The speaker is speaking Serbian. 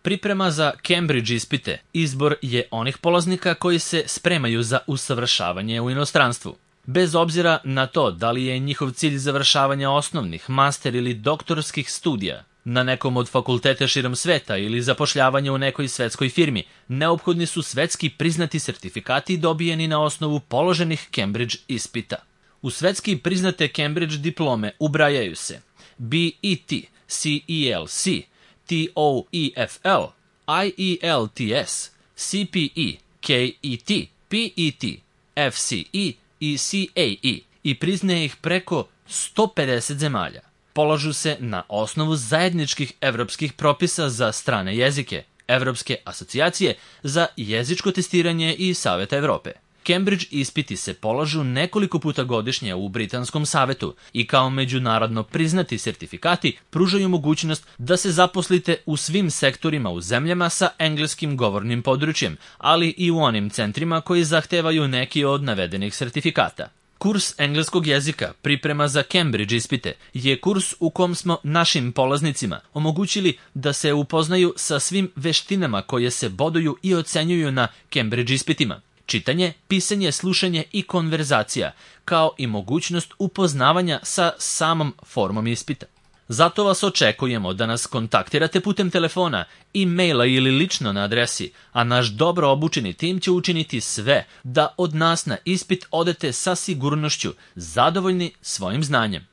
Priprema za Cambridge ispite izbor je onih polaznika koji se spremaju za usavršavanje u inostranstvu. Bez obzira na to da li je njihov cilj završavanja osnovnih, master ili doktorskih studija na nekom od fakulteta širom sveta ili zapošljavanje u nekoj svetskoj firmi, neophodni su svetski priznati sertifikati dobijeni na osnovu položenih Cambridge ispita. U svetski priznate Cambridge diplome ubrajaju se BET, CELC, TOEFL, IELTS, CPE, KET, PET, FCE i CAE i priznaje ih preko 150 zemalja. Polažu se na osnovu zajedničkih evropskih propisa za strane jezike, Evropske asocijacije za jezičko testiranje i Saveta Evrope. Cambridge ispiti se polažu nekoliko puta godišnje u Britanskom savetu i kao međunarodno priznati sertifikati pružaju mogućnost da se zaposlite u svim sektorima u zemljama sa engleskim govornim područjem, ali i u onim centrima koji zahtevaju neki od navedenih sertifikata. Kurs engleskog jezika, priprema za Cambridge ispite, je kurs u kom smo našim polaznicima omogućili da se upoznaju sa svim veštinama koje se boduju i ocenjuju na Cambridge ispitima. Čitanje, pisanje, slušanje i konverzacija, kao i mogućnost upoznavanja sa samom formom ispita. Zato vas očekujemo da nas kontaktirate putem telefona, e-maila ili lično na adresi, a naš dobro obučeni tim će učiniti sve da od nas na ispit odete sa sigurnošću, zadovoljni svojim znanjem.